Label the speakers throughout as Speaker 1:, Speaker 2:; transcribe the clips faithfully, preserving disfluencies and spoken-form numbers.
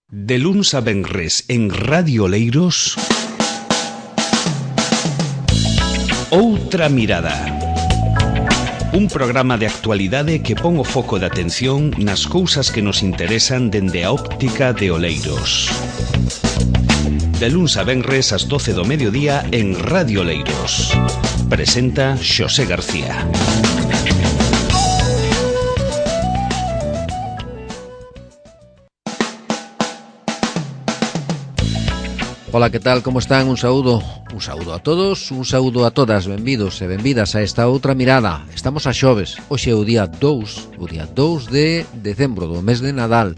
Speaker 1: De luns a venres en Radio Oleiros, Outra Mirada. Un programa de actualidade que pon o foco de atención nas cousas que nos interesan dende a óptica de Oleiros. De luns a venres ás doce do mediodía en Radio Oleiros. Presenta Xosé García.
Speaker 2: Ola, que tal, como están? Un saúdo, un saúdo a todos, un saúdo a todas, benvidos e benvidas a esta outra mirada. Estamos a xoves, hoxe é o día dous, o día dous de decembro, do mes de Nadal.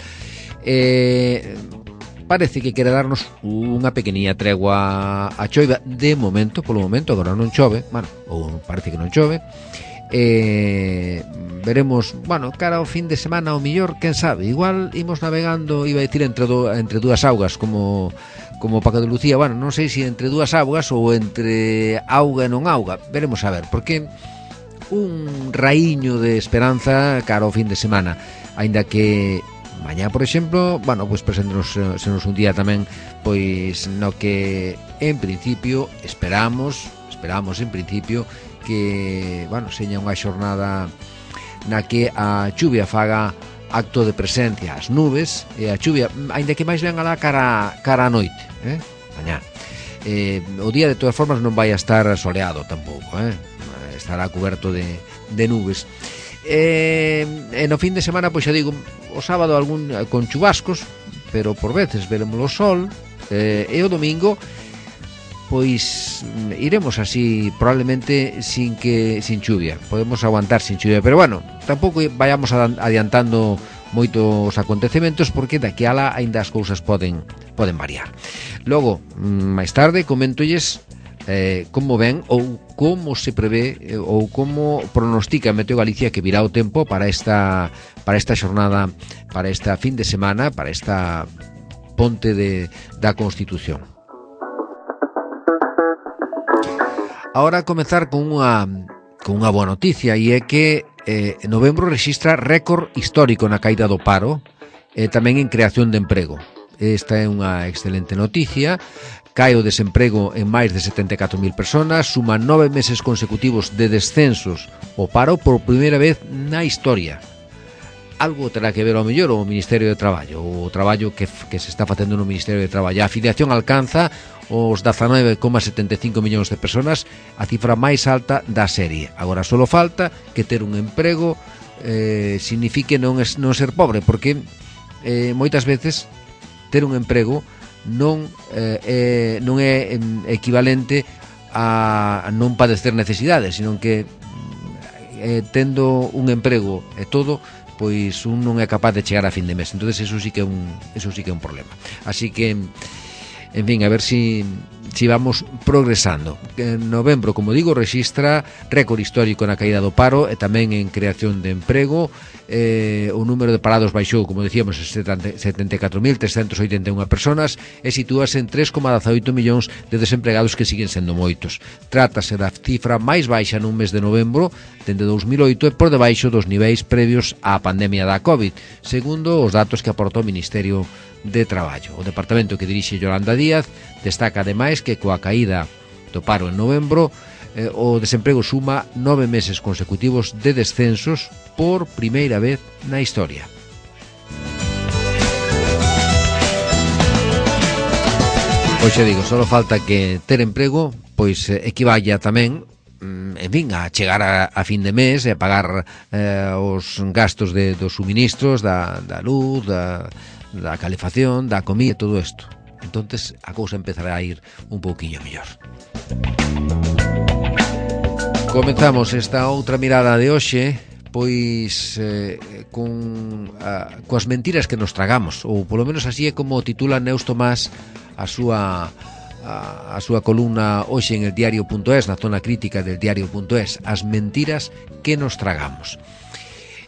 Speaker 2: Eh, parece que quere darnos unha pequeniña tregua a choiva, de momento, polo momento, agora non chove, bueno, ou parece que non chove. Eh, veremos, bueno, cara ao fin de semana o millor, quen sabe, igual imos navegando, iba a decir, entre, do, entre dúas augas, como... como Paco de Lucía, bueno, non sei se entre dúas augas ou entre auga e non auga, veremos a ver, porque un raíño de esperanza cara ao fin de semana, aínda que mañá, por exemplo, bueno, pois pues preséntanos se nos un día tamén, pois no que en principio esperamos, esperamos en principio que, bueno, seña unha xornada na que a chuvia faga acto de presencia, as nubes e a chuvia, aínda que máis ben alá cara, cara a noite, eh? Mañá. Eh, o día de todas formas non vai a estar soleado tampouco, eh? Estará cuberto de, de nubes. Eh, e no fin de semana, pois xa digo, o sábado algún con chubascos, pero por veces veremos o sol, eh, e o domingo pois iremos así probablemente sin que sin chuvia, podemos aguantar sin chuvia, pero bueno, tampouco vayamos adiantando moito os acontecementos porque daqui ala aínda as cousas poden poden variar. Logo, máis tarde coméntolles eh, como ven ou como se prevé eh, ou como pronostica Meteo Galicia que virá o tempo para esta para esta xornada, para esta fin de semana, para esta ponte de da Constitución. Ahora comezar con unha con unha boa noticia, e é que eh, novembro rexistra récord histórico na caída do paro e tamén en creación de emprego. Esta é unha excelente noticia. Cae o desemprego en máis de setenta e catro mil personas, suma nove meses consecutivos de descensos o paro por primeira vez na historia. Algo terá que ver ao mellor o Ministerio de Traballo, o traballo que, que se está facendo no Ministerio de Traballo. A afiliación alcanza os dezanove coma setenta e cinco millóns de persoas, a cifra máis alta da serie. Agora só falta que ter un emprego eh, signifique non, es, non ser pobre, porque eh, moitas veces ter un emprego non, eh, eh, non é equivalente a non padecer necesidades, sino que eh, tendo un emprego e todo, pois un non é capaz de chegar a fin de mes. Entonces eso sí que é un, eso sí que é un problema. Así que, en fin, a ver si, si vamos progresando. En novembro, como digo, rexistra récord histórico na caída do paro e tamén en creación de emprego. Eh, o número de parados baixou, como decíamos, setenta e catro mil trescentos oitenta e unha personas e sitúase en tres coma dezaoito millóns de desempregados, que siguen sendo moitos. Trátase da cifra máis baixa nun mes de novembro dende dous mil oito e por debaixo dos niveis previos á pandemia da COVID, segundo os datos que aportou o Ministerio de Traballo. O departamento que dirixe Yolanda Díaz destaca ademais que coa caída do paro en novembro eh, o desemprego suma nove meses consecutivos de descensos por primeira vez na historia. Pois xa digo, só falta que ter emprego pois eh, equivalla tamén, en fin, a chegar a, a fin de mes e a pagar eh, os gastos de, dos suministros, da, da luz, da, da calefacción, da comida, todo isto. Entonces a cousa empezará a ir un pouquiño mellor. Comezamos esta outra mirada de hoxe pois eh, con a, coas mentiras que nos tragamos, ou polo menos así é como titula Neus Tomás a súa a, a súa columna hoxe en el diario punto es, na zona crítica del diario punto es, as mentiras que nos tragamos.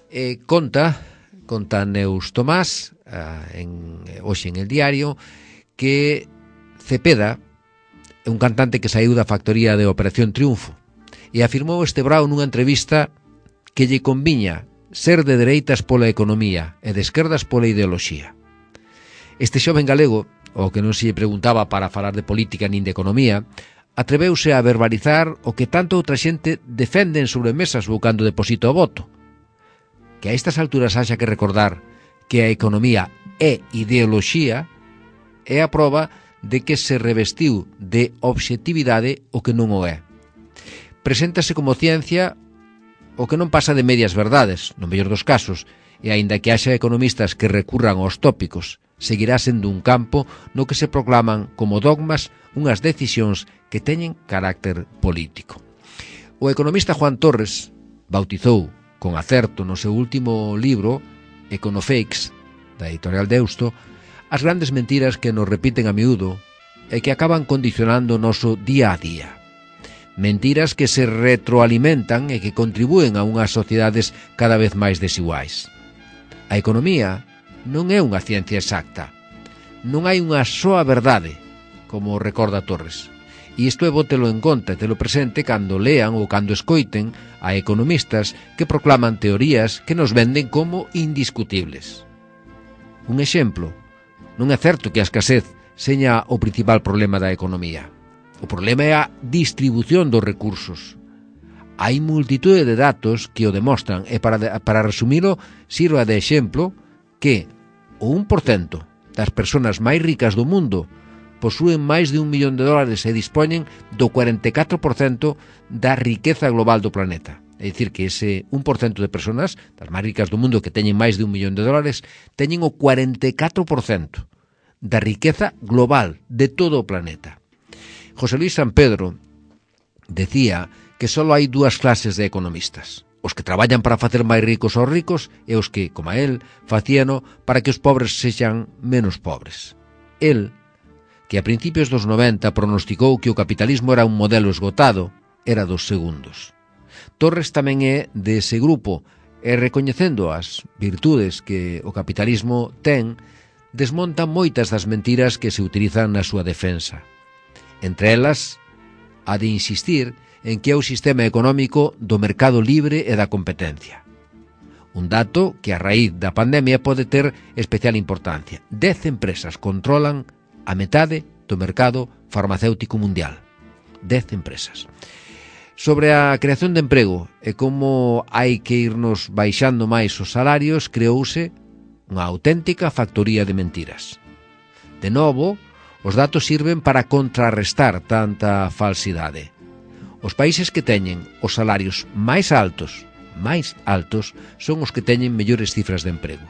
Speaker 2: Eh, conta conta Neus Tomás eh, en, hoxe en el diario que Cepeda é un cantante que saíu da factoría de Operación Triunfo e afirmou este brao nunha entrevista que lle conviña ser de dereitas pola economía e de esquerdas pola ideoloxía. Este xoven galego, o que non se lle preguntaba para falar de política nin de economía, atreveuse a verbalizar o que tanto outra xente defende en sobremesas buscando depósito o voto. Que a estas alturas haxa que recordar que a economía é ideoloxía é a proba de que se revestiu de obxectividade o que non o é. Preséntase como ciencia o que non pasa de medias verdades, no mellor dos casos, e aínda que haxa economistas que recurran aos tópicos, seguirá sendo un campo no que se proclaman como dogmas unhas decisións que teñen carácter político. O economista Juan Torres bautizou con acerto no seu último libro, Econofakes, da editorial Deusto, as grandes mentiras que nos repiten a miúdo e que acaban condicionando o noso día a día. Mentiras que se retroalimentan e que contribúen a unhas sociedades cada vez máis desiguais. A economía non é unha ciencia exacta. Non hai unha soa verdade, como recorda Torres. E isto é bótelo en conta e telo presente cando lean ou cando escoiten a economistas que proclaman teorías que nos venden como indiscutibles. Un exemplo, non é certo que a escasez seña o principal problema da economía. O problema é a distribución dos recursos. Hai multitude de datos que o demostran e para, para resumilo, sirva de exemplo que o un por cento das persoas máis ricas do mundo posúen máis de un millón de dólares e dispoñen do cuarenta e catro por cento da riqueza global do planeta. É dicir, que ese un por cento de persoas, das máis ricas do mundo que teñen máis de un millón de dólares, teñen o cuarenta e catro por cento da riqueza global de todo o planeta. José Luis San Pedro decía que só hai dúas clases de economistas: os que traballan para facer máis ricos aos ricos e os que, como a él, facíano para que os pobres sexan menos pobres. El, que a principios dos noventa pronosticou que o capitalismo era un modelo esgotado, era dos segundos. Torres tamén é dese grupo e, recoñecendo as virtudes que o capitalismo ten, desmonta moitas das mentiras que se utilizan na súa defensa. Entre elas, a de insistir en que é o sistema económico do mercado libre e da competencia. Un dato que a raíz da pandemia pode ter especial importancia. Dez empresas controlan a metade do mercado farmacéutico mundial. Dez empresas. Sobre a creación de emprego e como hai que irnos baixando máis os salarios, creouse unha auténtica factoría de mentiras. De novo, os datos sirven para contrarrestar tanta falsidade. Os países que teñen os salarios máis altos, máis altos, son os que teñen mellores cifras de emprego.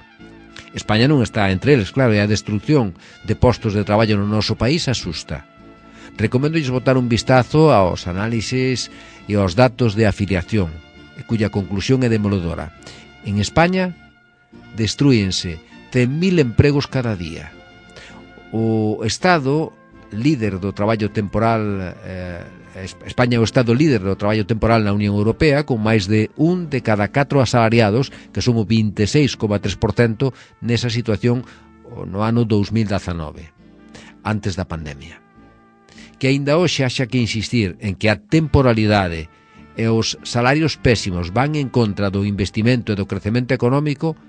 Speaker 2: España non está entre eles, claro, e a destrucción de postos de traballo no noso país asusta. Recoméndolles botar un vistazo aos análises e aos datos de afiliación, cuya conclusión é demoledora. En España, destrúense cen mil empregos cada día. O Estado líder do traballo temporal, eh, España é o Estado líder do traballo temporal na Unión Europea, con máis de un de cada catro asalariados, que son o vinte e seis coma tres por cento nesa situación no ano dous mil dezanove, antes da pandemia. Que aínda hoxe haxa que insistir en que a temporalidade e os salarios pésimos van en contra do investimento e do crecemento económico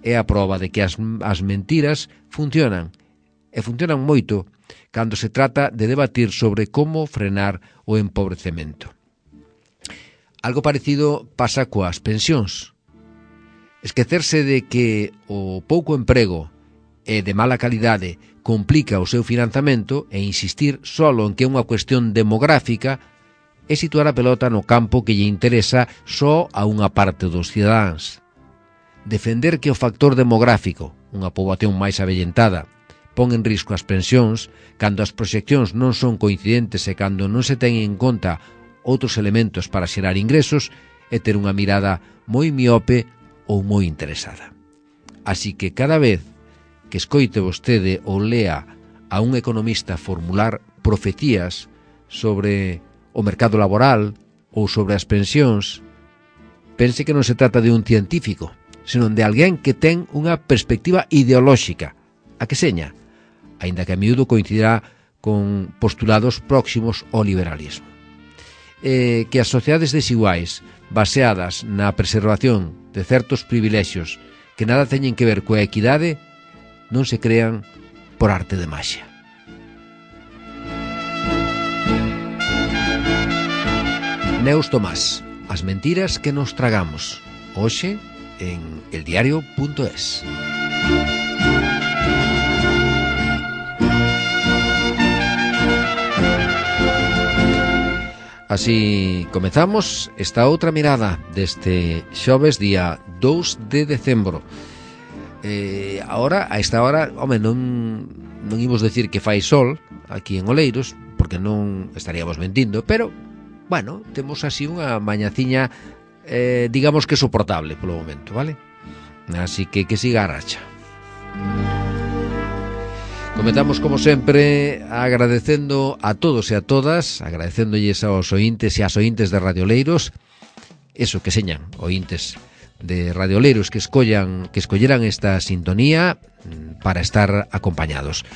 Speaker 2: é a proba de que as, as mentiras funcionan, e funcionan moito cando se trata de debatir sobre como frenar o empobrecemento. Algo parecido pasa coas pensións. Esquecerse de que o pouco emprego e de mala calidade complica o seu financiamento e insistir solo en que é unha cuestión demográfica é situar a pelota no campo que lle interesa só a unha parte dos cidadáns. Defender que o factor demográfico, unha poboación máis avellentada, pon en risco as pensións cando as proxeccións non son coincidentes e cando non se ten en conta outros elementos para xerar ingresos e ter unha mirada moi miope ou moi interesada. Así que cada vez que escoite vostede ou lea a un economista formular profecías sobre o mercado laboral ou sobre as pensións, pense que non se trata de un científico, senón de alguén que ten unha perspectiva ideolóxica, a que seña, aínda que a miúdo coincidirá con postulados próximos ao liberalismo. E que as sociedades desiguais, baseadas na preservación de certos privilexios que nada teñen que ver coa equidade, non se crean por arte de maxia. Neus Tomás, as mentiras que nos tragamos, hoxe en eldiario punto es. Así comezamos esta outra mirada deste xoves día dous de decembro. Eh, ahora, a esta hora, home, non, non imos decir que fai sol aquí en Oleiros, porque non estaríamos mentindo, pero, bueno, temos así unha mañaciña, eh, digamos que soportable polo momento, vale? Así que que siga a racha. Comezamos, como sempre, agradecendo a todos e a todas, agradecéndolles aos ointes e ás ointes de Radio Oleiros, eso que señan, ointes de Radio Oleiros que escollan, que escolleran esta sintonía para estar acompañados.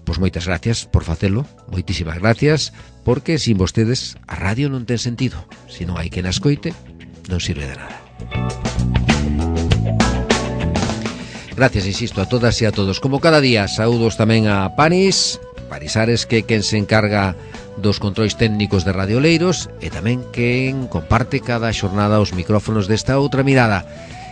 Speaker 2: Pois moitas gracias por facelo, moitísimas gracias, porque sin vostedes a radio non ten sentido. Se non hai quen a escoite, non sirve de nada. Gracias, insisto, a todas e a todos. Como cada día, saúdos tamén a Panis, Panisares, que quen se encarga dos controis técnicos de Radio Oleiros e tamén quen comparte cada xornada os micrófonos desta outra mirada.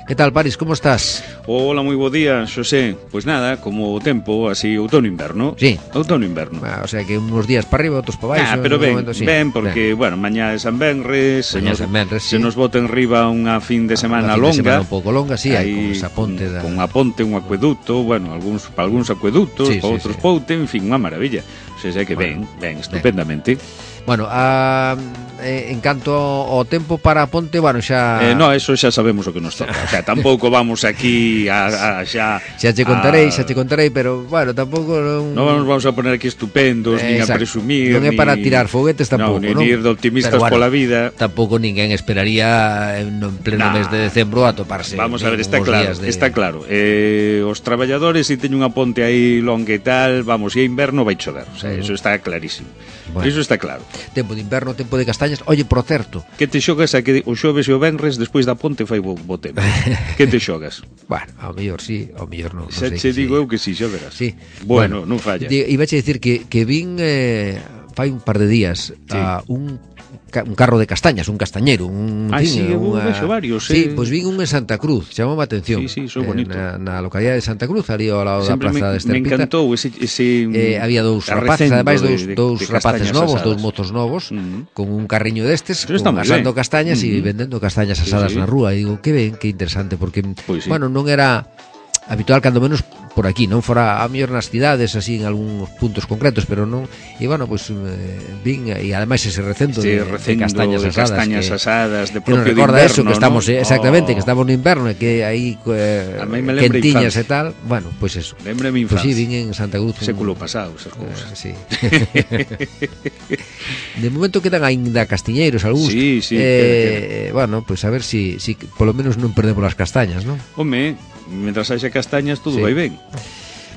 Speaker 2: Que tal, Paris, como estás?
Speaker 3: Hola, moi bo día, Xosé. Pois nada, como o tempo, así, outono-inverno.
Speaker 2: Sí.
Speaker 3: Outono-inverno.
Speaker 2: Ah, o sea que uns días para arriba, outros para baixo.
Speaker 3: Ah, pero ben,
Speaker 2: momento, sí.
Speaker 3: ben, porque, ben. bueno, mañá é San Benres, se
Speaker 2: Mañá
Speaker 3: nos,
Speaker 2: San Benres,
Speaker 3: se
Speaker 2: sí.
Speaker 3: nos bota en riba unha fin de semana
Speaker 2: Unha fin
Speaker 3: longa.
Speaker 2: de semana un pouco longa, sí, hai con esa ponte da...
Speaker 3: Con a ponte, un acueducto, bueno, algúns, para algúns acueductos,
Speaker 2: sí,
Speaker 3: para
Speaker 2: sí,
Speaker 3: outros
Speaker 2: sí.
Speaker 3: poute, en fin, unha maravilla. O sea, sei que
Speaker 2: Bueno,
Speaker 3: ben, ben, estupendamente.
Speaker 2: Bueno, a, eh, en canto ao tempo para a ponte, bueno, xa...
Speaker 3: Eh, no, eso xa sabemos o que nos toca. O sea, tampouco vamos aquí a, a xa...
Speaker 2: Xa te contarei,
Speaker 3: a...
Speaker 2: xa te contarei, pero, bueno, tampouco... Non,
Speaker 3: non nos vamos a poner aquí estupendos, eh, nin a presumir.
Speaker 2: Non é para tirar foguetes tampouco,
Speaker 3: non?
Speaker 2: Non,
Speaker 3: Ni ir de optimistas
Speaker 2: bueno,
Speaker 3: pola vida.
Speaker 2: Tampouco ninguén esperaría en pleno nah, mes de decembro a toparse.
Speaker 3: Vamos a ver, está claro, de... está claro. Eh, os traballadores, se teñen unha ponte aí longa e tal, vamos, e a inverno vai chover. O sea, uh -huh. Eso está clarísimo. Bueno. Eso está claro.
Speaker 2: Tempo de inverno, tempo de castañas. Oye, por certo,
Speaker 3: que te xogas a que o xoves e o venres despois da ponte fai bo, bo tempo? Que te xogas?
Speaker 2: Bueno, ao mellor sí, ao mellor non.
Speaker 3: Xa che digo eu que sí, xa verás.
Speaker 2: Sí.
Speaker 3: Bueno, bueno, non falla.
Speaker 2: Iba a dicir que, que vin eh, fai un par de días sí. a un un carro de castañas, un castañeiro, un
Speaker 3: ah,
Speaker 2: fin,
Speaker 3: sí,
Speaker 2: unha...
Speaker 3: vexo varios, eh.
Speaker 2: Sí, pois vin un en Santa Cruz, chamou a atención.
Speaker 3: Sí, sí, son bonito.
Speaker 2: Na, na localidade de Santa Cruz, ali ao lado da plaza de Esterpita.
Speaker 3: Me encantou ese, ese
Speaker 2: eh, había dous rapaces, ademais dous,
Speaker 3: de,
Speaker 2: dous
Speaker 3: de
Speaker 2: rapaces novos,
Speaker 3: asadas.
Speaker 2: dous mozos novos, uh -huh. con un carriño destes, con, asando
Speaker 3: bien.
Speaker 2: castañas e uh -huh. vendendo castañas asadas sí, sí. na rúa. E digo, que ben, que interesante, porque, pues sí. bueno, non era habitual, cando menos por aquí, non fora a mellor nas cidades, así en algúns puntos concretos, pero non, e bueno, pois pues, eh, vin, e ademais ese recendo
Speaker 3: sí,
Speaker 2: de,
Speaker 3: recendo
Speaker 2: de castañas
Speaker 3: de
Speaker 2: asadas,
Speaker 3: castañas
Speaker 2: que,
Speaker 3: asadas de
Speaker 2: propio
Speaker 3: que
Speaker 2: nos recorda
Speaker 3: de inverno,
Speaker 2: eso, que estamos,
Speaker 3: ¿no?
Speaker 2: eh, exactamente,
Speaker 3: oh.
Speaker 2: que estamos no inverno, e que aí eh, quentiñas e tal, bueno, pois pues eso.
Speaker 3: Lembre mi infancia.
Speaker 2: Pois pues sí, vin en Santa Cruz.
Speaker 3: Século pasado, esas cousas.
Speaker 2: Eh, sí. De momento quedan aínda castiñeiros algúns.
Speaker 3: Sí, sí.
Speaker 2: Eh, queda, queda. Bueno, pois pues a ver si, si polo menos non perdemos as castañas, non?
Speaker 3: Home, mentras haxa castañas todo sí. vai ben.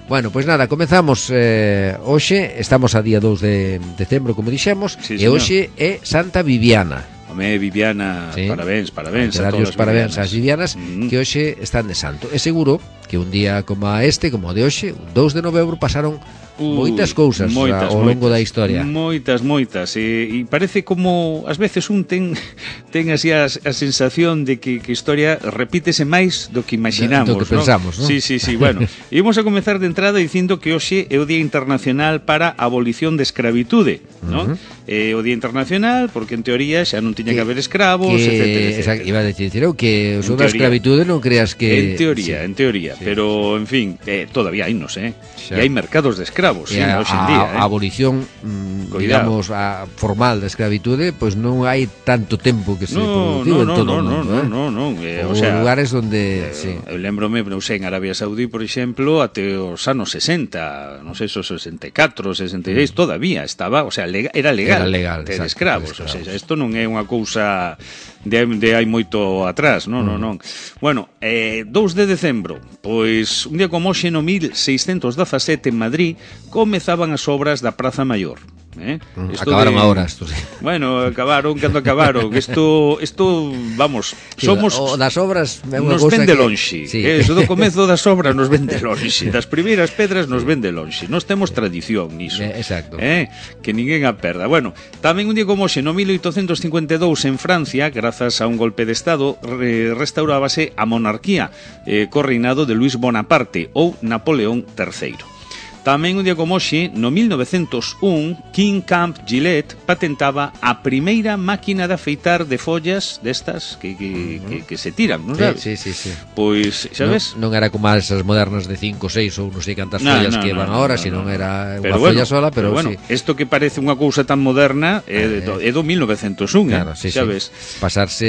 Speaker 2: Bueno, pois pues nada, comezamos eh, hoxe, estamos a día dous de decembro, como dixemos,
Speaker 3: sí,
Speaker 2: e hoxe é Santa Viviana.
Speaker 3: Home, Viviana, sí. parabéns, parabéns a todas as
Speaker 2: parabéns ás Vivianas,
Speaker 3: uh -huh.
Speaker 2: que hoxe están de santo. É seguro que un día como este, como o de hoxe, un dous de novembro, pasaron Uh, moitas cousas moitas, ao longo
Speaker 3: moitas,
Speaker 2: da historia.
Speaker 3: Moitas, moitas. E, e parece como, ás veces, un ten, ten así a, a sensación de que, que a historia repítese máis do que imaginamos.
Speaker 2: Do que pensamos,
Speaker 3: ¿no?
Speaker 2: ¿no?
Speaker 3: Sí, sí, sí. Bueno, ímos a comezar de entrada dicindo que hoxe é o Día Internacional para a Abolición de Escravitude, ¿no? Uh -huh. É o Día Internacional porque, en teoría, xa non tiña que, que haber escravos,
Speaker 2: que,
Speaker 3: etcétera, etcétera.
Speaker 2: Exacto, iba a decir eu que o da escravitude non creas que...
Speaker 3: En teoría, sí. en teoría. Sí. Pero, en fin, eh, todavía hai, non sé. E hai mercados de escravos. Sí,
Speaker 2: a,
Speaker 3: hoxe en día,
Speaker 2: a,
Speaker 3: eh?
Speaker 2: a abolición mm, digamos a formal da escravitude, pois pues non hai tanto tempo que se
Speaker 3: no,
Speaker 2: produciu
Speaker 3: no,
Speaker 2: en
Speaker 3: no,
Speaker 2: todo
Speaker 3: no,
Speaker 2: o mundo,
Speaker 3: no,
Speaker 2: eh?
Speaker 3: no, no, no, eh,
Speaker 2: o,
Speaker 3: o sea,
Speaker 2: lugares onde,
Speaker 3: eh,
Speaker 2: sí.
Speaker 3: Eu lembrome, non sei, en Arabia Saudí, por exemplo, até os anos sesenta, non sei, esos sesenta e catro, sesenta e seis, mm. todavía estaba, o sea, lega, era legal,
Speaker 2: era legal
Speaker 3: ter
Speaker 2: exacto,
Speaker 3: escravos,
Speaker 2: ter escravos.
Speaker 3: O sea, isto non é unha cousa de, de hai moito atrás, non, mm. non, non. Bueno, eh, dous de decembro, pois un día como hoxe no mil seiscentos dezasete en Madrid comezaban as obras da Praza Maior. Eh?
Speaker 2: Mm, acabaron de... ahora estos.
Speaker 3: Bueno, acabaron cando acabaron. Isto, isto, vamos, sí, somos
Speaker 2: o das obras
Speaker 3: nos vende que... lonxe. Sí. Eh, eso do comezo das obras nos vende lonxe. Das primeiras pedras nos vende lonxe. Nós temos tradición niso.
Speaker 2: Eh, exacto.
Speaker 3: Eh? Que ninguén a perda. Bueno, tamén un día como hoxe, no mil oitocentos cincuenta e dous en Francia, grazas a un golpe de estado, re, restaurábase a monarquía eh, co reinado de Luis Bonaparte ou Napoleón terceiro. Tamén un día como hoxe, no mil novecentos un, King Camp Gillette patentaba a primeira máquina de afeitar de follas destas que, que, que, que se tiran, non sabes?
Speaker 2: Sí, sí, sí.
Speaker 3: Pois, sabes?
Speaker 2: Non, non era como esas modernas de cinco, seis ou non sei cantas no, follas no, que van no, agora, no, sino no, era unha
Speaker 3: bueno,
Speaker 2: folla sola, pero,
Speaker 3: pero bueno,
Speaker 2: sí.
Speaker 3: Isto que parece unha cousa tan moderna é, eh, do, é do mil novecentos un,
Speaker 2: claro, sí,
Speaker 3: sabes?
Speaker 2: Sí. Pasarse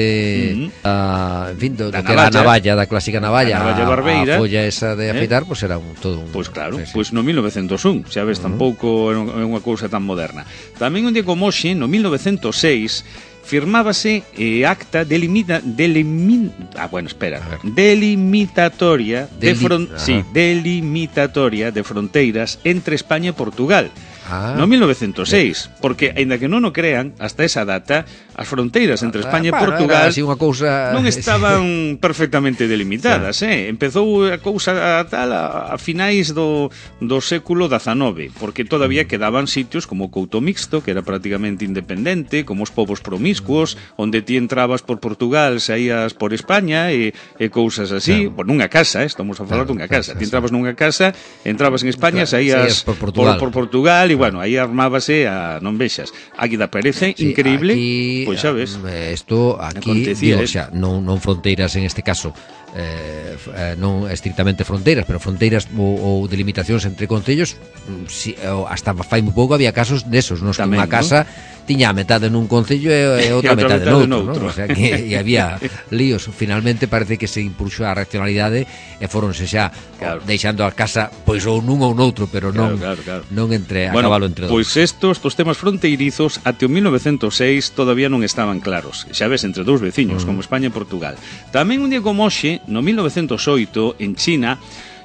Speaker 2: uh-huh. a, en fin, do, do que era a navalla, da clásica navalla, a, navalla barbeira, a folla esa de afeitar, pois eh? pues era un, todo un...
Speaker 3: Pois pues claro,
Speaker 2: sí, sí.
Speaker 3: Pois pues no mil novecentos un, xa ves, uh-huh. tampouco é unha cousa tan moderna. Tamén un día como hoxe, no mil novecentos seis, firmábase eh, acta delimita, delimin, ah, bueno, espera, delimitatoria de fron, sí, delimitatoria de fronteiras entre España e Portugal. Ah, no mil novecentos seis, bien. Porque, aínda que non o crean, hasta esa data, as fronteiras entre España ah, e Portugal
Speaker 2: así unha cousa...
Speaker 3: non estaban perfectamente delimitadas, eh? Empezou a cousa a tal a, a finais do, do século dezanove, porque todavía quedaban sitios como Couto Mixto, que era prácticamente independente, como os povos promiscuos, onde ti entrabas por Portugal, saías por España e, e cousas así, claro. Por nunha casa, eh? Estamos a falar claro, dunha casa, ti entrabas nunha casa, entrabas en España, claro, saías por Portugal, por, por Portugal e bueno, aí armábase a non vexas. Aquí da parece sí, increíble, pois pues, xa ves.
Speaker 2: Isto aquí, digo, xa, non, non fronteiras en este caso, eh, eh, non estritamente fronteiras, pero fronteiras ou, ou delimitacións entre concellos, si, hasta fai moi pouco había casos desos, nos que unha casa ¿no? tiña a metade nun concello e, e outra, e outra metade, metade noutro, ¿no? O sea que e había líos. Finalmente parece que se impulsou a racionalidade e foronse xa claro. deixando a casa pois ou nun ou noutro, pero non claro, claro, claro. non entre a
Speaker 3: bueno,
Speaker 2: cabalo entre
Speaker 3: pois dos. Pois estos, estos temas fronteirizos até o mil novecentos seis todavía non estaban claros. Xa ves, entre dous veciños, uh-huh. como España e Portugal. Tamén un día como hoxe, no mil novecentos oito, en China,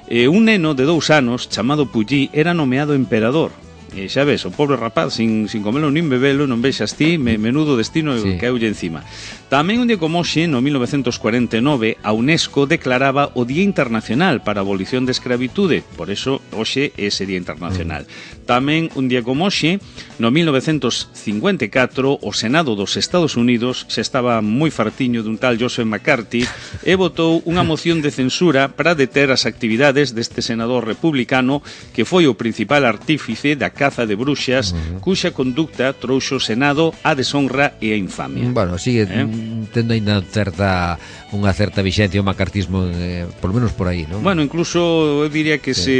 Speaker 3: eh, un neno de dous anos chamado Puyi era nomeado emperador. E xa ves, o pobre rapaz sin, sin comelo nin bebelo, non vexas ti, me, menudo destino sí. caeulle encima. Tamén un día como hoxe, no mil novecentos cuarenta e nove, a UNESCO declaraba o Día Internacional para a Abolición de Escravitude, por eso hoxe é ese Día Internacional. Mm. Tamén un día como hoxe, no mil novecentos cincuenta e catro, o Senado dos Estados Unidos se estaba moi fartiño dun tal Joseph McCarthy e votou unha moción de censura para deter as actividades deste senador republicano que foi o principal artífice da caza de bruxas, uh-huh. cuxa conducta trouxo o Senado a deshonra e a infamia.
Speaker 2: Bueno, sigue eh? tendo ainda certa unha certa vixencia o macartismo, eh, por lo menos por aí, non?
Speaker 3: Bueno, incluso eu diría que sí, se,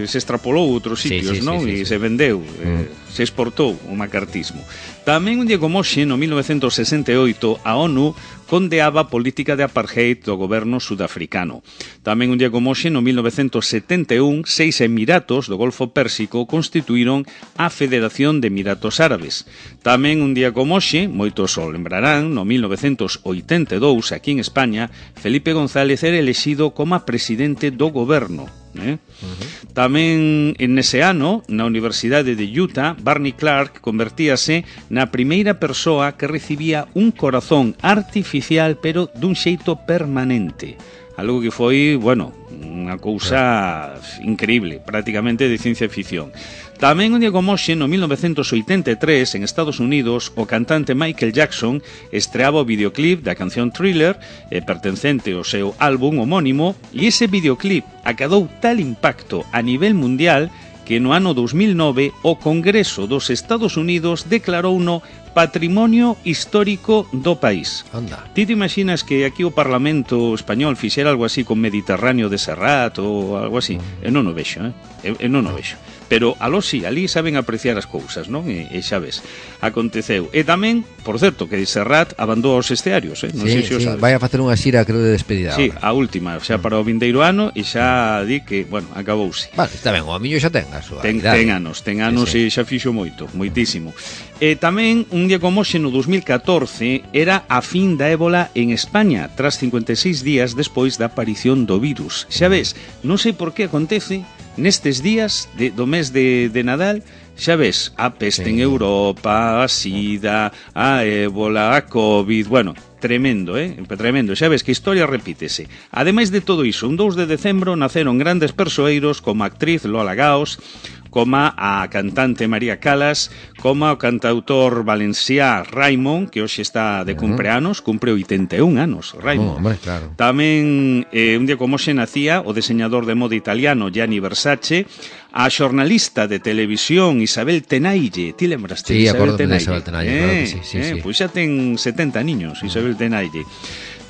Speaker 3: sí. se extrapolou a outros sitios, sí, sí, non? Sí, sí, e sí. se vendeu, uh-huh. eh, se exportou o macartismo. Tamén un día como hoxe, no mil novecentos sesenta e oito, a ONU condeaba a política de apartheid do goberno sudafricano. Tamén un día como hoxe, no mil novecentos setenta e un, seis emiratos do Golfo Pérsico constituíron a Federación de Emiratos Árabes. Tamén un día como hoxe, moitos o lembrarán, no mil novecentos oitenta e dous, aquí en España, Felipe González era elexido como presidente do goberno. Eh? Uh-huh. Tamén en ese ano, na Universidade de Utah, Barney Clark convertíase na primeira persoa que recibía un corazón artificial pero dun xeito permanente. Algo que foi, bueno, unha cousa increíble, prácticamente de ciencia ficción. Tamén un día como hoxe, no mil novecentos oitenta e tres, en Estados Unidos, o cantante Michael Jackson estreaba o videoclip da canción Thriller, eh, pertencente ao seu álbum homónimo, e ese videoclip acadou tal impacto a nivel mundial que no ano dos mil nove o Congreso dos Estados Unidos declarouno Patrimonio Histórico do país.
Speaker 2: Anda.
Speaker 3: Ti te imaginas que aquí o Parlamento español fixera algo así con Mediterráneo de Serrat ou algo así? Mm. Eu non o vexo, eh? Eu, eu non o vexo. Pero aló si, ali saben apreciar as cousas, non? E, e xa ves, aconteceu. E tamén, por certo, que Serrat abandou os estearios, eh? Non
Speaker 2: sí,
Speaker 3: sei se o
Speaker 2: sí,
Speaker 3: sabes.
Speaker 2: vai a facer unha xira, creo, de despedida.
Speaker 3: Sí,
Speaker 2: ahora.
Speaker 3: A última, xa para o vindeiro ano, e xa di que, bueno, acabouse.
Speaker 2: Vale, está ben, o amiño xa ten a súa
Speaker 3: ten, ten anos, ten anos sí, sí. E xa fixo moito, moitísimo. E tamén, un día como hoxe, no dos mil catorce, era a fin da ébola en España, tras cincuenta e seis días despois da aparición do virus. Xa ves, non sei por que acontece, nestes días de, do mes de, de Nadal, xa ves, a peste sí. en Europa, a sida, a ébola, a COVID, bueno, tremendo, eh? Tremendo, xa ves que a historia repítese. Ademais de todo iso, un dous de decembro naceron grandes persoeiros como a actriz Lola Gaos, como a cantante María Calas, como o cantautor valenciá Raimon, que hoxe está de cumpleanos, cumpre oitenta e un anos, Raimon.
Speaker 2: Oh, hombre, claro.
Speaker 3: Tamén, eh, un día como hoxe nacía o diseñador de moda italiano Gianni Versace, a xornalista de televisión Isabel Tenaille. Ti lembraste
Speaker 2: sí,
Speaker 3: de Isabel
Speaker 2: Tenaille?
Speaker 3: Sí,
Speaker 2: Isabel Tenaille, eh, claro que sí, sí,
Speaker 3: eh,
Speaker 2: sí.
Speaker 3: Pois xa ten setenta niños, Isabel Tenaille.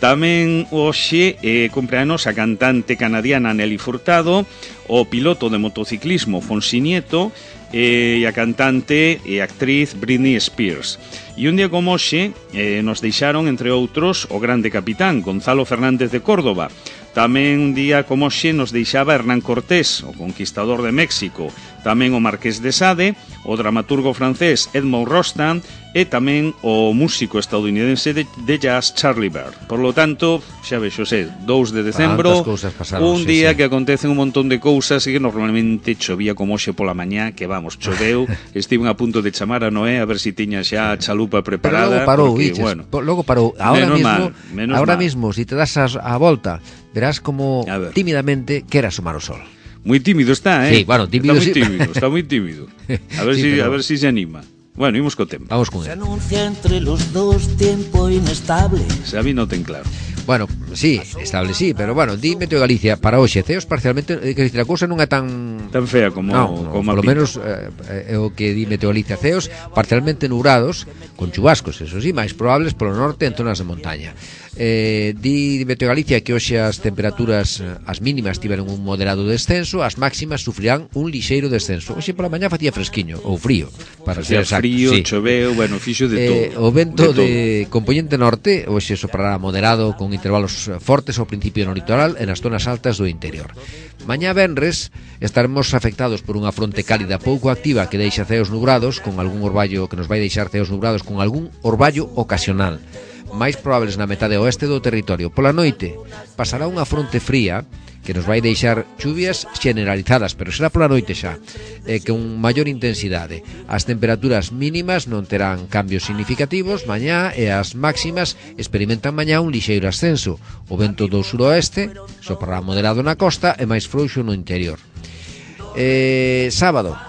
Speaker 3: Tamén hoxe eh, cumpleanos a cantante canadiana Nelly Furtado, o piloto de motociclismo Fonsi Nieto eh, e a cantante e actriz Britney Spears. E un día como hoxe eh, nos deixaron, entre outros, o grande capitán Gonzalo Fernández de Córdoba. Tamén un día como hoxe nos deixaba Hernán Cortés, o conquistador de México. Tamén o Marqués de Sade, o dramaturgo francés Edmond Rostand e tamén o músico estadounidense de, de jazz Charlie Bird. Por lo tanto, xa vexo, sé, dous de decembro,
Speaker 2: pasaron,
Speaker 3: un
Speaker 2: sí,
Speaker 3: día
Speaker 2: sí.
Speaker 3: que acontecen un montón de cousas e que normalmente chovía como hoxe pola mañá, que vamos, choveu, estiven a punto de chamar a Noé a ver si tiña xa a chalupa preparada.
Speaker 2: Pero logo parou,
Speaker 3: porque,
Speaker 2: biches,
Speaker 3: bueno,
Speaker 2: logo parou. Ahora
Speaker 3: menos
Speaker 2: mismo,
Speaker 3: mal, menos
Speaker 2: ahora
Speaker 3: mal.
Speaker 2: mismo, si te das a, a volta, verás como tímidamente quere asomar o sol.
Speaker 3: Muy tímido está, eh?
Speaker 2: Sí, bueno, tímido
Speaker 3: está muy
Speaker 2: sí.
Speaker 3: tímido, está muy tímido. A ver, sí, si, pero... a ver si se anima. Bueno, imos co tempo.
Speaker 2: Vamos con él.
Speaker 4: Se anuncia entre los dos tiempo inestable.
Speaker 3: Xavi no ten claro.
Speaker 2: Bueno, sí, estable sí, pero bueno, di Meteo Galicia para hoxe, ceos parcialmente, que dicir, a cousa non é tan
Speaker 3: tan fea como
Speaker 2: no, no,
Speaker 3: como
Speaker 2: polo menos eh, é o que di Meteo Galicia, ceos parcialmente nubrados, con chubascos, eso sí, máis probables polo norte en zonas de montaña. Eh, di Meteo Galicia que hoxe as temperaturas, as mínimas tiveron un moderado descenso, as máximas sufrirán un lixeiro descenso. Hoxe pola mañá facía fresquiño ou frío, para
Speaker 3: facía
Speaker 2: ser exacto.
Speaker 3: Frío,
Speaker 2: sí.
Speaker 3: Choveu, bueno, fixo de todo.
Speaker 2: Eh, o vento
Speaker 3: de,
Speaker 2: de componente norte hoxe soprará moderado con intervalos fortes ao principio no litoral e nas zonas altas do interior. Mañá venres estaremos afectados por unha fronte cálida pouco activa que deixa ceos nubrados con algún orballo que nos vai deixar ceos nubrados con algún orballo ocasional. Máis probables na metade oeste do territorio. Pola noite pasará unha fronte fría que nos vai deixar chuvias generalizadas, pero será pola noite xa, eh, con maior intensidade. As temperaturas mínimas non terán cambios significativos mañá e as máximas experimentan mañá un lixeiro ascenso. O vento do suroeste soprará moderado na costa e máis frouxo no interior. Eh, sábado,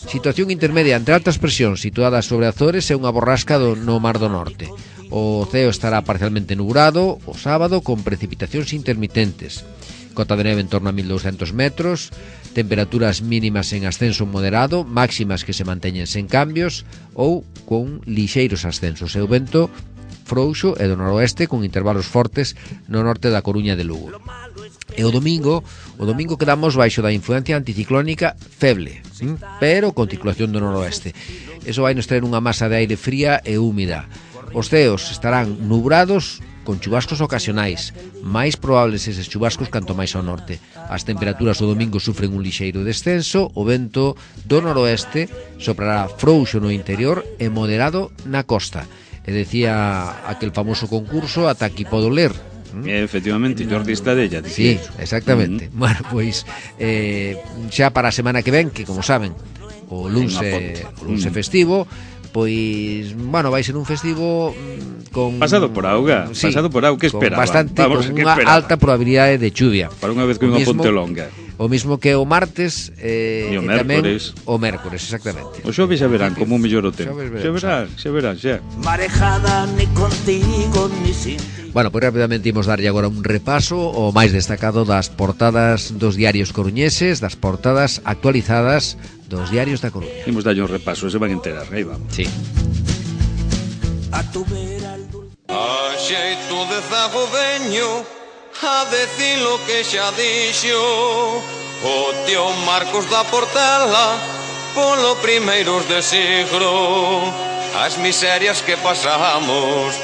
Speaker 2: situación intermedia entre altas presións situadas sobre Azores e unha borrasca do, no Mar do Norte. O ceo estará parcialmente nublado o sábado con precipitacións intermitentes. Cota de neve en torno a mil doscientos metros, temperaturas mínimas en ascenso moderado, máximas que se manteñen sen cambios ou con lixeiros ascensos. E o vento frouxo e do noroeste con intervalos fortes no norte da Coruña de Lugo. E o domingo, o domingo quedamos baixo da influencia anticiclónica feble, pero con circulación do noroeste. Eso vai nos traer unha masa de aire fría e húmida. Os ceos estarán nubrados con chubascos ocasionais, máis probables eses chubascos canto máis ao norte. As temperaturas o domingo sufren un lixeiro descenso, o vento do noroeste soprará frouxo no interior e moderado na costa. E decía aquel famoso concurso ata aquí podo ler.
Speaker 3: ¿Mm? Efectivamente, Jordi Estadella.
Speaker 2: Sí, exactamente. Mm. Bueno, pois eh, xa para a semana que ven, que como saben, o luns é o luns é festivo. Pois, bueno, vai ser un festivo con
Speaker 3: pasado por auga, sí, pasado por auga, que esperaban?
Speaker 2: Bastante,
Speaker 3: Vamos,
Speaker 2: con unha alta probabilidade de chuvia.
Speaker 3: Para unha vez que unha ponte longa.
Speaker 2: O mismo que o martes eh,
Speaker 3: e o
Speaker 2: e
Speaker 3: mércores.
Speaker 2: Tamén o mércores, exactamente.
Speaker 3: O xoves xa verán como mellor o tempo. Xa verán, xa verán, xa.
Speaker 4: Marejada ni contigo ni sin ti.
Speaker 2: Bueno, pois rapidamente imos darlle agora un repaso o máis destacado das portadas dos diarios coruñeses, das portadas actualizadas dos diarios da Coruña.
Speaker 3: Imos darlle un repaso, se van a enterar, aí vamos.
Speaker 2: Sí.
Speaker 4: A tu vera el dulce
Speaker 5: a xeito de zago veño a decir lo que xa dixo o tío Marcos da Portela polo primeiros de siglo as miserias que pasamos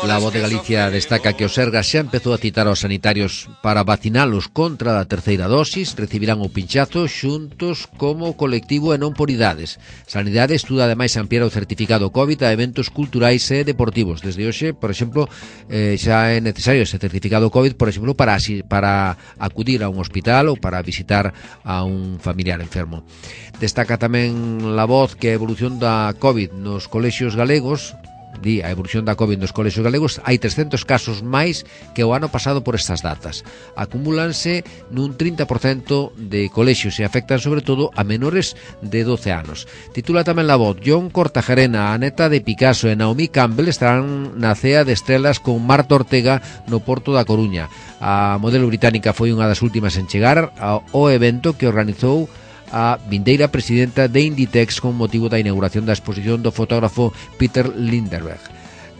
Speaker 2: La Voz de Galicia destaca que o Sergas xa empezou a citar aos sanitarios para vacinalos contra a terceira dosis, recibirán o pinchazo xuntos como colectivo e non por idades. Sanidade estuda ademais ampliar o certificado COVID a eventos culturais e deportivos. Desde hoxe, por exemplo, eh, xa é necesario ese certificado COVID, por exemplo, para, para acudir a un hospital ou para visitar a un familiar enfermo. Destaca tamén La Voz que a evolución da COVID nos colexios galegos, di a evolución da COVID nos colexios galegos, hai trescentos casos máis que o ano pasado por estas datas. Acumúlanse nun trinta por cento de colexios e afectan sobre todo a menores de doce anos. Titula tamén La Voz: John Cortajarena, a neta de Picasso e Naomi Campbell estarán na cea de estrelas con Marta Ortega no Porto da Coruña. A modelo británica foi unha das últimas en chegar ao evento que organizou a vindeira presidenta de Inditex con motivo da inauguración da exposición do fotógrafo Peter Lindbergh.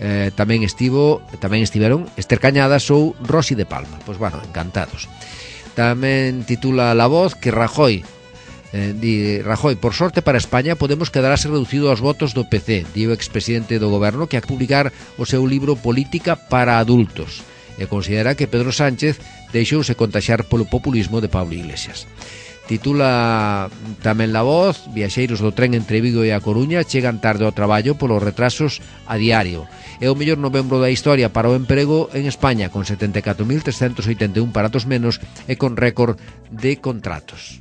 Speaker 2: Eh, tamén estivo, tamén estiveron Esther Cañadas ou Rosy de Palma. Pois bueno, encantados. Tamén titula La Voz que Rajoy eh, di, Rajoy, por sorte para España Podemos quedarase reducido aos votos do P C, di o expresidente do goberno que a publicar o seu libro Política para adultos, e considera que Pedro Sánchez deixouse contaxar polo populismo de Pablo Iglesias. Titula tamén La Voz: Viaxeiros do tren entre Vigo e A Coruña chegan tarde ao traballo polos retrasos a diario. É o mellor novembro da historia para o emprego en España, con setenta e catro mil trescentos oitenta e un parados menos e con récord de contratos.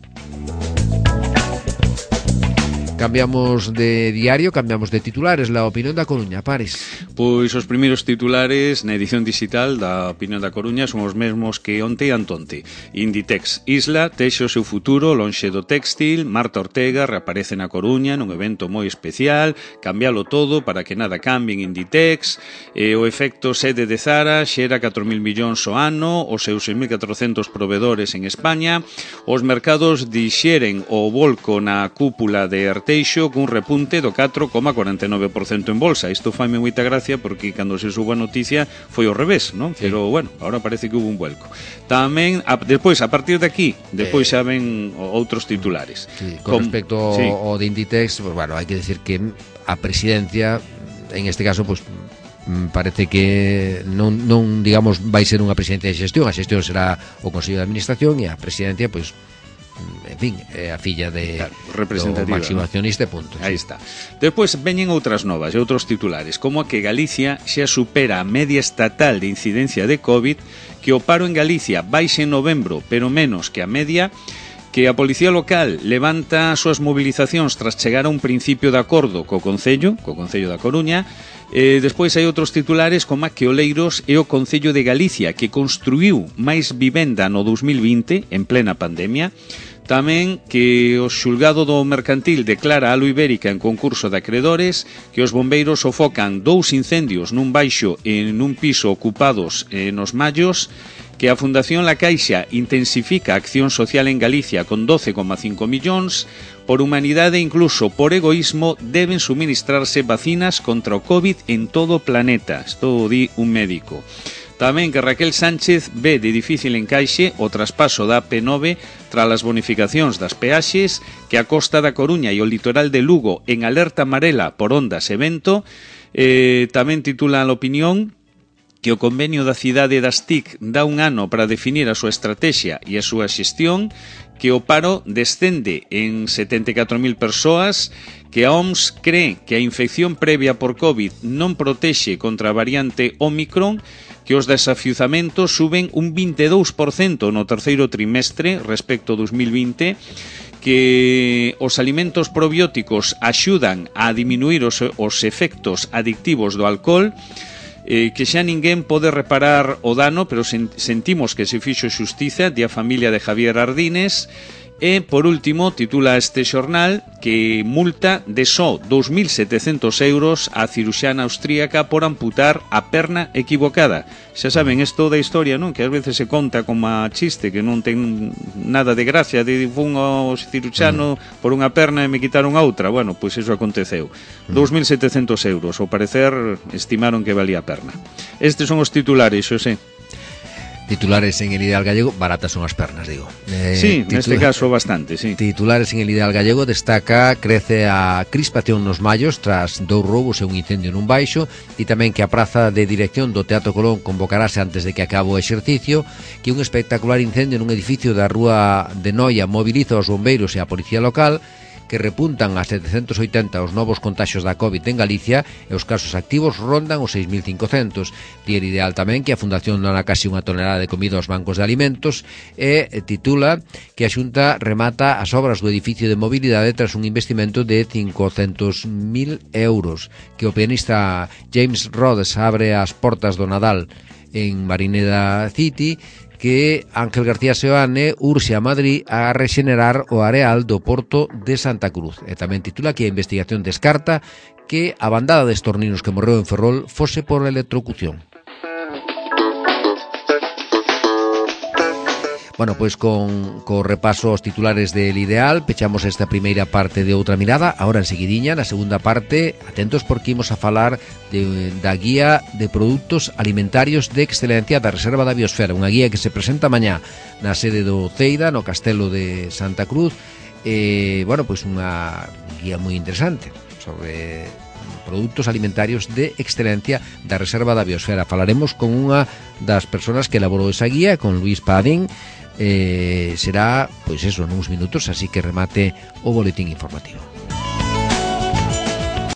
Speaker 2: Cambiamos de diario, cambiamos de titulares. La Opinión da Coruña, Pares.
Speaker 3: Pois os primeiros titulares na edición digital da Opinión da Coruña son os mesmos que onte e antonte. Inditex Isla texe o seu futuro lonxe do téxtil. Marta Ortega reaparece na Coruña nun evento moi especial. Cambialo todo para que nada cambie en Inditex. E o efecto sede de Zara xera catro mil millóns ao ano, os seus seis mil catrocentos provedores en España. Os mercados dixeren o volco na cúpula de Arteixo cun repunte do catro coma cuarenta e nove por cento en bolsa. Isto faime moita gracia porque cando se suba a noticia foi ao revés, non? Sí. Pero bueno, agora parece que hubo un vuelco. Tamén, a, despois, a partir de aquí, despois eh, xa ven outros titulares.
Speaker 2: Sí, con, con respecto sí. ao de Inditex, pues, bueno, hai que decir que a presidencia, en este caso, pues parece que non, non digamos, vai ser unha presidencia de xestión. A xestión será o Consello de Administración e a presidencia, pois, pues, en fin, é a filla de claro, representativa, do máximo accionista, punto.
Speaker 3: Aí sí. está. Despois veñen outras novas e outros titulares, como a que Galicia xa supera a media estatal de incidencia de COVID, que o paro en Galicia baixe en novembro, pero menos que a media, que a Policía Local levanta as súas mobilizacións tras chegar a un principio de acordo co Concello, co Concello da Coruña. Eh, despois hai outros titulares como a que Oleiros é o Concello de Galicia que construiu máis vivenda no dos mil vinte en plena pandemia. Tamén que o xulgado do mercantil declara a Alu Ibérica en concurso de acreedores, que os bombeiros sofocan dous incendios nun baixo e nun piso ocupados eh, nos Mallos, que a Fundación La Caixa intensifica a acción social en Galicia con doce coma cinco millóns, por humanidade e incluso por egoísmo deben suministrarse vacinas contra o COVID en todo o planeta. Isto di un médico. Tamén que Raquel Sánchez ve de difícil encaixe o traspaso da A P nove tras as bonificacións das peaxes, que a costa da Coruña e o litoral de Lugo en alerta amarela por ondas e vento. Eh, tamén titula a Opinión que o convenio da cidade das T I C dá un ano para definir a súa estrategia e a súa xestión, que o paro descende en setenta e catro mil persoas, que a O M S cree que a infección previa por COVID non protexe contra a variante Omicron, que os desafiuzamentos suben un vinte e dous por cento no terceiro trimestre respecto ao dos mil vinte, que os alimentos probióticos axudan a diminuir os, os efectos adictivos do alcohol, eh, que xa ninguén pode reparar o dano, pero sen, sentimos que se fixo xustiza, di a familia de Javier Ardines. E, por último, titula este xornal que multa de só dous mil setecentos euros a ciruxana austríaca por amputar a perna equivocada. Xa saben, isto da historia, non? Que ás veces se conta como a chiste, que non ten nada de gracia, de fun ao ciruxano mm. por unha perna e me quitaron a outra. Bueno, pois iso aconteceu. Mm. dous mil setecentos euros, ao parecer estimaron que valía a perna. Estes son os titulares, xo sei.
Speaker 2: Titulares en el Ideal Gallego, baratas son as pernas, digo.
Speaker 3: Eh, sí, neste caso bastante, sí.
Speaker 2: Titulares en el Ideal Gallego destaca crece a crispación nos mallos tras dous roubos e un incendio nun baixo, e tamén que a praza de dirección do Teatro Colón convocarase antes de que acabe o exercicio, que un espectacular incendio nun edificio da Rúa de Noia moviliza os bombeiros e a policía local, que repuntan a setecentos oitenta os novos contaxios da COVID en Galicia e os casos activos rondan os seis mil cincocentos. Di el Ideal tamén que a Fundación dona casi unha tonelada de comida aos bancos de alimentos e titula que a Xunta remata as obras do edificio de mobilidade tras un investimento de cincocentos mil euros, que o pianista James Rhodes abre as portas do Nadal en Marineda City, que Ángel García Seoane urxe a Madrid a rexenerar o areal do Porto de Santa Cruz. E tamén titula que a investigación descarta que a bandada de estorninos que morreu en Ferrol fose por electrocución. Bueno, pois con, con repaso aos titulares del Ideal pechamos esta primeira parte de Outra Mirada. Ahora en seguidiña, na segunda parte, atentos porque imos a falar de, da guía de produtos alimentarios de excelencia da Reserva da Biosfera, unha guía que se presenta mañá na sede do Ceida, no Castelo de Santa Cruz. E, bueno, pois unha guía moi interesante sobre produtos alimentarios de excelencia da Reserva da Biosfera. Falaremos con unha das persoas que elaborou esa guía, con Luis Padín. Eh, será, pois eso, nuns minutos, así que remate o boletín informativo.